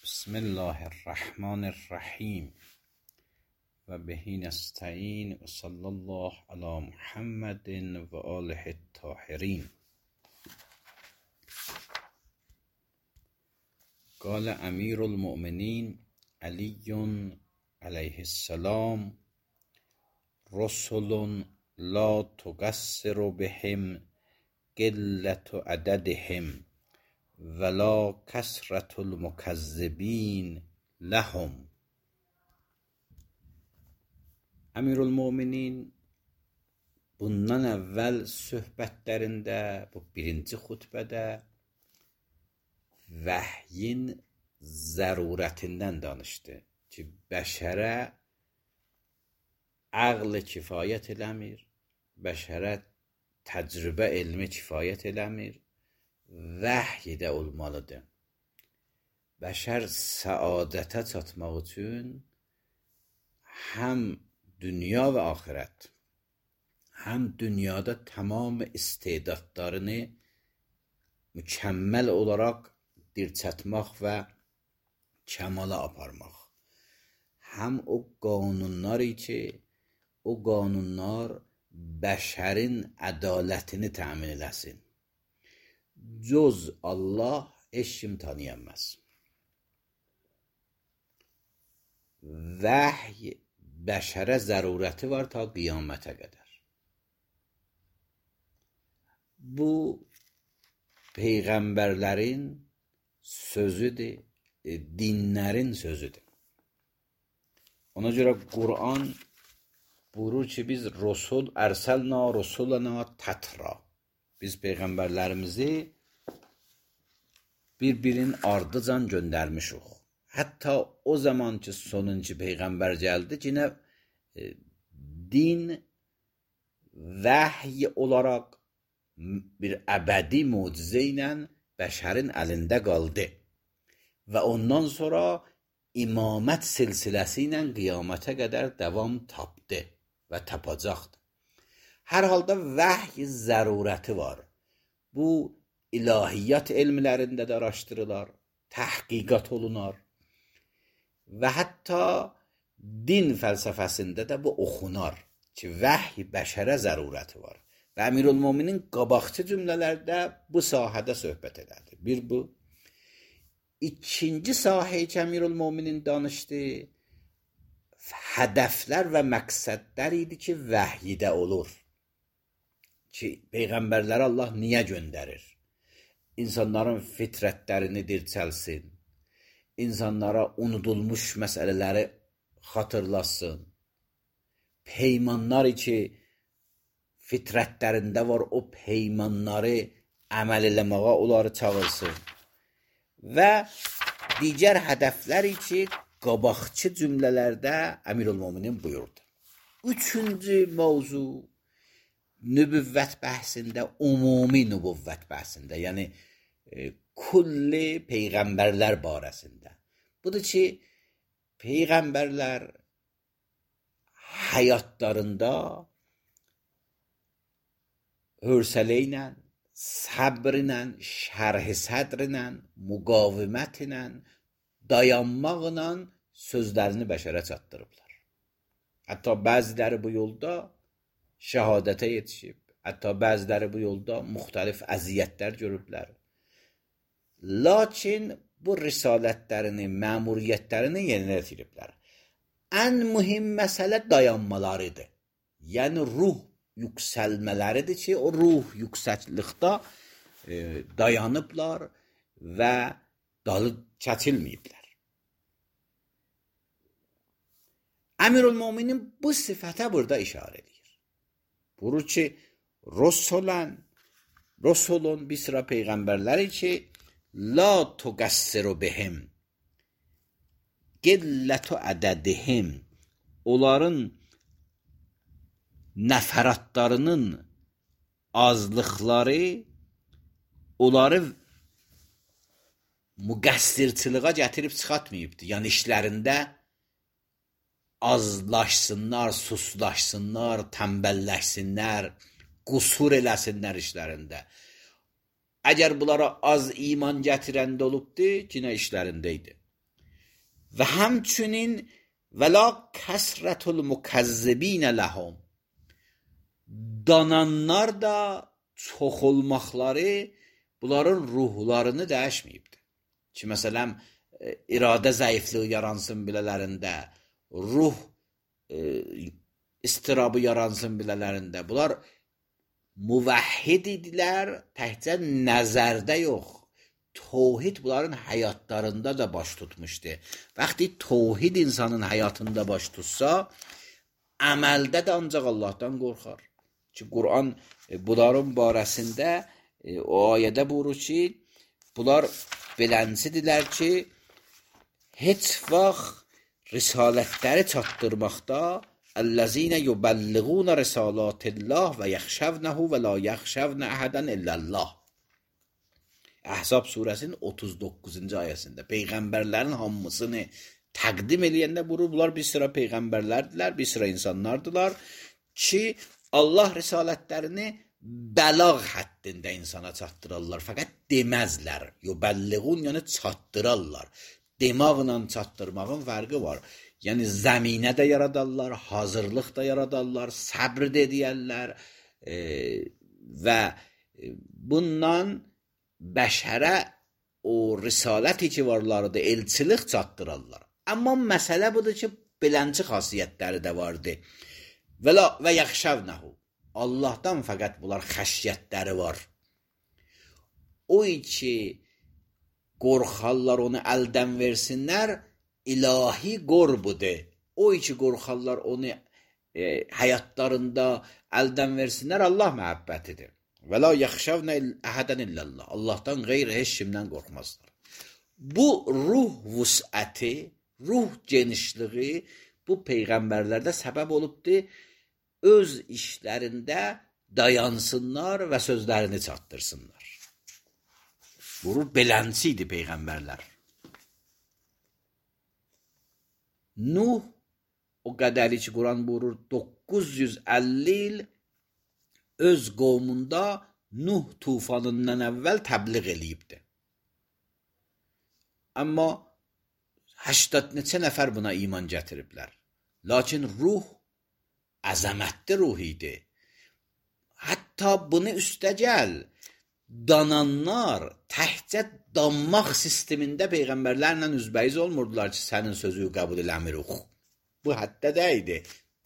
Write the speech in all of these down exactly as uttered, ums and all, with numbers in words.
بسم الله الرحمن الرحیم و به نستعین و صلی الله علی محمد و آله الطاهرین. قال امیر المؤمنین علی علیه السلام: رسل لا تقصر بهم قلة عددهم ولا کثرة المکذبین لهم. Əmirülmöminin bundan əvvəl söhbətlərində, bu birinci xutbədə vəhyin zərurətindən danışdı ki, bəşərə əql kifayət eləmir, bəşərə təcrübə elmi kifayət eləmir, vəhy də olmalıdır. Bəşər səadətə çatmaq üçün həm dünya və axirət, həm dünyada tamam istedadlarını mükəmməl olaraq dirçətmək və kəmala aparmaq, həm o qanunları ki, o qanunlar bəşərin ədalətini təmin eləsin. Cöz Allah heç kim tanıyamaz. Vəhy bəşərə zərurəti var ta qiyamətə qədər. Bu peyğəmbərlərin sözüdür, dinlərin sözüdür. Ona görə Quran buyurur ki, biz Rasul ərsəlna rusulana tətra. Biz peyğəmbərlərimizi bir-birinin ardıcan göndərmişik. Hətta o zaman ki, sonuncu peyğəmbər gəldi, yine e, din vəhy olaraq bir əbədi mucizə ilə bəşərin əlində qaldı və ondan sonra imamət silsiləsi ilə qiyamətə qədər davam tapdı və tapacaqdı. Hər halda vəhy zərurəti var. Bu ilahiyyat elmlərində də araşdırılar, təhqiqat olunar və hətta din fəlsəfəsində də bu oxunar ki, vəhy bəşərə zərurəti var. Və Əmirülmöminin qabaqçı cümlələrdə bu sahədə söhbət elədi. Bir bu. İkinci sahə ki, Əmirülmöminin danışdı, hədəflər və məqsədlər idi ki, vəhyidə olur. Ki, peyğəmbərləri Allah niyə göndərir? İnsanların fitrətlərini dirçəlsin, insanlara unudulmuş məsələləri xatırlasın, peymanlar ki, fitrətlərində var, o peymanları əməl eləməyə onları çağırsın və digər hədəfləri ki, qabaqçı cümlələrdə Əmirülmöminin buyurdu. Üçüncü mövzu nübüvvət bəhsində, umumi nübüvvət bəhsində, yəni e, kulli peyğəmbərlər barəsində. Budur ki, peyğəmbərlər həyatlarında hövsələ ilə, səbr ilə, şərh-i sədr ilə, müqavimət ilə, dayanmaqla sözlərini bəşərə çatdırıblar. Hətta bəziləri bu yolda şəhadətə yetişib, hətta bəziləri bu yolda müxtəlif əziyyətlər görüblər. Lakin bu risalətlərini, məmuriyyətlərini yerinə yetiriblər. Ən mühim məsələ dayanmalarıdır. Yəni ruh yüksəlmələridir ki, o ruh yüksəklikdə e, dayanıblar və dalı çəkilməyiblər. Əmirülmöminin bu sifətə burada işarə edir. Buyurur ki, Rasulən, Rasulun bir sıra peyğəmbərləri ki, la tuqassiru bihim, qillətu ədədihim, onların nəfəratlarının azlıqları onları müqəssirçiliğə gətirib çıxatmayıbdır. Yəni işlərində azlaşsınlar, suslaşsınlar, tənbəlləşsinlər, qusur eləsinlər işlərində. Əgər bunlara az iman gətirəndə olubdu, yine işlərində idi. və həmçinin və la kəsrətul mukazzibin ləhum, dananlar da çox olmaqları bunların ruhlarını dəyişməyibdir. Ki, məsələn, iradə zəifliyi yaransın bilələrində, ruh e, istirabı yaransın bilələrində. Bunlar müvəhhid idilər, təhcə nəzərdə yox. Tevhid bunların həyatlarında da baş tutmuşdu. Vaxtı tevhid insanın həyatında baş tutsa, əməldə də ancaq Allahdan qorxar. Ki, Quran e, bunların barəsində e, o ayədə buyurur ki, bunlar beləncədirlər ki, heç vaxt risalətləri çatdırmaqda əllezine yubəlliğuna risalatillah və yaxşəvnəhu və la yaxşəvnə əhədən illəllah. Əhzab surəsinin otuz doqquzuncu ayəsində peyğəmbərlərin hamısını təqdim eləyəndə buyurur, bunlar bir sıra peyğəmbərlərdirlər, bir sıra insanlardılar ki, Allah risalətlərini bəlağ həddində insana çatdırırlar, fəqət deməzlər. Yubəlliğun, yəni çatdırırlar. Demaqla çatdırmağın fərqi var. Yəni zəminə də yaradarlar, hazırlıq da yaradarlar, səbr də edərlər e, və bundan bəşərə o risaləti ki varlardı, elçilik çatdırırlar. Amma məsələ budur ki, belənci xasiyyətləri də vardı. Və, la, və yaxşəvnəhu, Allahdan fəqət bunlar xəşyətləri var. O ki, qorxarlar onu əldən versinlər, ilahi qorbudur. O ki, qorxarlar onu e, həyatlarında əldən versinlər, Allah məhəbbətidir. Və la yaxşəvnə əhədən illallah. Allahdan qeyri heç kimdən qorxmazlar. Bu ruh vüsəti, ruh genişliği bu peyğəmbərlərdə səbəb olubdur, öz işlərində dayansınlar və sözlərini çatdırsınlar. Vurur, belənçi idi peyğəmbərlər. Nuh o qədəri ki, Quran buyurur, doqquz yüz əlli il öz qovmunda Nuh tufanından əvvəl təbliğ eləyibdir. Amma həştad neçə nəfər buna iman gətiriblər. Lakin ruh əzəmətli ruh idi. Hətta bunu üstəgəl dananlar təhcə danmaq sistemində peyğəmbərlərlə üzbəyiz olmurdular ki, sənin sözü qəbul eləmirik. Bu həddə də idi.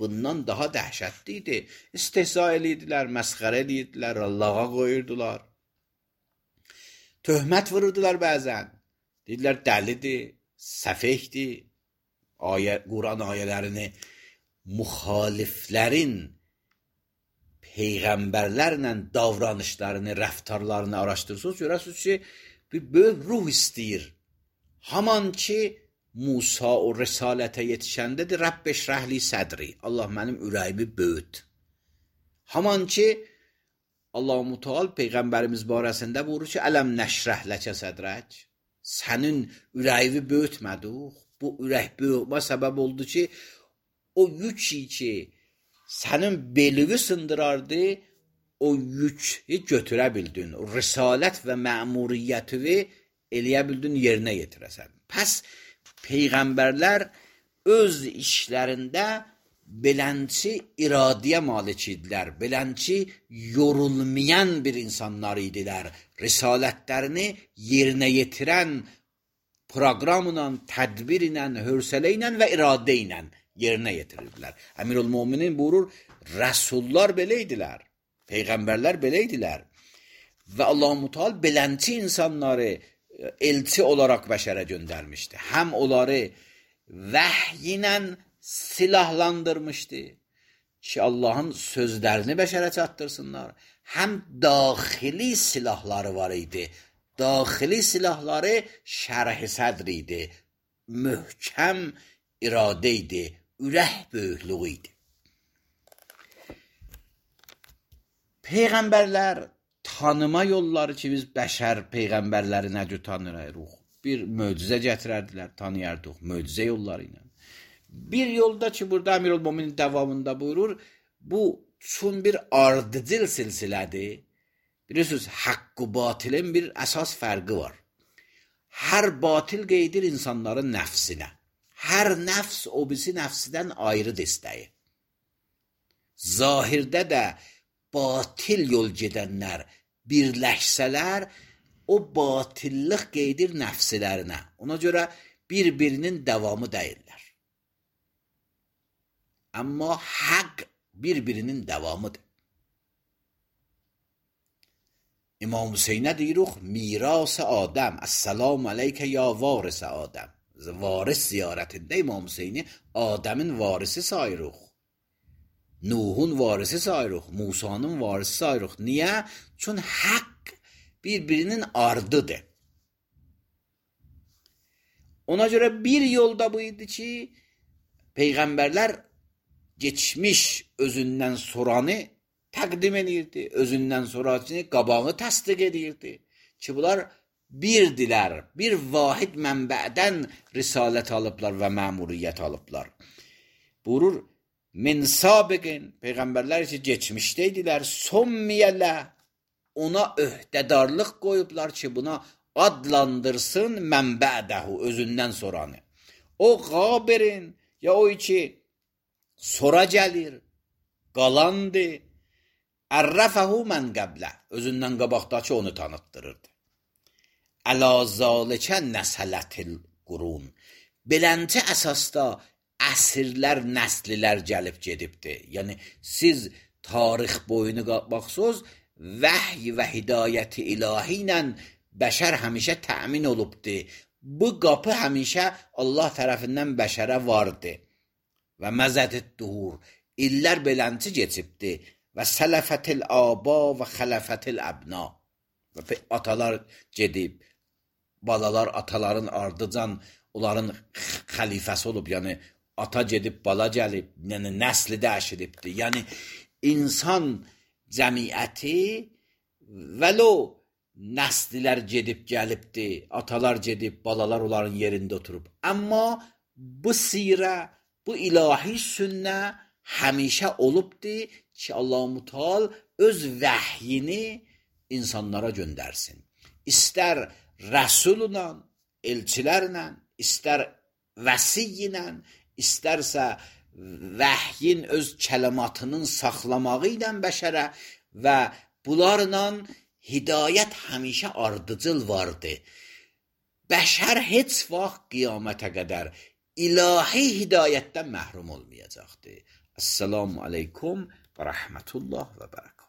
Bundan daha dəhşətli idi. İstehza edirdilər, məsxərə edirdilər, Allaha qoyurdular. Töhmət vururdular bəzən. Dedilər, dəlidir, səfehdir. Ayə, Quran ayələrini müxaliflərin peyğəmbərlərlə davranışlarını, rəftarlarını araşdırsınız, görəsiniz ki, bir böyük ruh istəyir. Haman ki, Musa o risalətə yetişəndədir, Rəbb eşrəhli sədri, Allah mənim ürəyimi böyüt. Haman ki, Allah-u Müteal peyğəmbərimiz barəsində buyurur ki, ələm nəşrəh ləkə sədrək, sənin ürəyini böyütmədik. Bu ürək böyütmə səbəb oldu ki, o yük ki, sənin belini sındırardı, o yükü götürə bildin. O risalət və məmuriyyətini eləyə bildin, yerinə yetirəsən. Pəs, peyğəmbərlər öz işlərində belənçi iradəyə malik idilər, belənçi yorulmayan bir insanlar idilər. Risalətlərini yerinə yetirən proqramla, tədbirlə, hövsələ ilə və iradə ilə yerinə yetirirdilər. Əmirül-Möminin buyurur, rəsullar belə idilər, peyğəmbərlər belə idilər və Allah-u Müteal belənçi insanları elçi olaraq bəşərə göndərmişdi. Həm onları vəhy ilə silahlandırmışdı ki, Allahın sözlərini bəşərə çatdırsınlar. Həm daxili silahları var idi. Daxili silahları şərh-i sədr idi. Möhkəm iradə idi. Ürək böyüklüğü idi. Peyğəmbərlər tanıma yolları ki, biz bəşər peyğəmbərləri necə tanıyırıq? Bir möcüzə gətirərdilər, tanıyardıq, möcüzə yolları ilə. Bir yolda ki, burada Əmirül-Möminin davamında buyurur, bu çün bir ardıcıl silsilədir. Bilirsiniz, haqqı batilin bir əsas fərqi var. Hər batil qeydir insanların nəfsinə. hər nəfs o birisi nəfsidən ayrı dəstəyi. Zahirdə də batil yol gedənlər birləşsələr, o batillıq qeydir nəfslərinə. Ona görə bir-birinin davamı deyirlər. Amma haqq bir-birinin davamıdır. İmam Hüseynə deyirik, miras Adəm, Əssalamu aleykə ya varis Adəm. Varis ziyarətində İmam Hüseyni Adəmin varisi sayırıq. Nuhun varisi sayırıq, Musanın varisi sayırıq. Niyə? Çünki haqq bir-birinin ardıdır. Ona görə bir yolda bu idi ki, Peyğəmbərlər geçmiş özündən soranı təqdim edirdi, özündən sonrakini qabağı təsdiq edirdi ki, bunlar birdilər, bir vahid mənbədən risalət alıblar və məmuriyyət alıblar. Buyurur, min sabiqin, Peyğəmbərlər ki, geçmişdəydilər, sommiyələ, ona öhdədarlıq qoyublar ki, buna adlandırsın mənbədəhu, özündən soranı. O qabirin, ya o ki, sonra gəlir, qalandı, ərrəfəhu mən qəblə, özündən qabaqdakı onu tanıtdırırdı. Əla zalikə nəsələtil qurun, belənti əsasda əsrlər, nəslilər gəlib gedibdir. Yəni, siz tarix boyunu baxsınız, vəhy və hidayəti ilahi ilə bəşər həmişə təmin olubdur. Bu qapı həmişə Allah tərəfindən bəşərə vardı. Və məzədid duhur, illər belənti geçibdir. Və sələfətil aba və xələfətil əbna. Və atalar gedib, balalar ataların ardıcan onların xəlifəsi olub. Yəni, ata gedib, bala gəlib, yəni nəsli dəyişilibdir. Yəni, insan cəmiyyəti vəlo nəslilər gedib gəlibdir, atalar gedib, balalar onların yerində oturub. Amma bu sirə, bu ilahi sünnə həmişə olubdur ki, Allah-u Teala öz vəhyini insanlara göndərsin. İstər rəsulunla, elçilərlə, istər vəsiy ilə, istərsə vəhyin öz kəlimatının saxlamağı ilə bəşərə və bunlarla hidayət həmişə ardıcıl vardı. Bəşər heç vaxt qiyamətə qədər ilahi hidayətdən məhrum olmayacaqdır. Esselamu aleykum və rəhmətullah və bərəkət.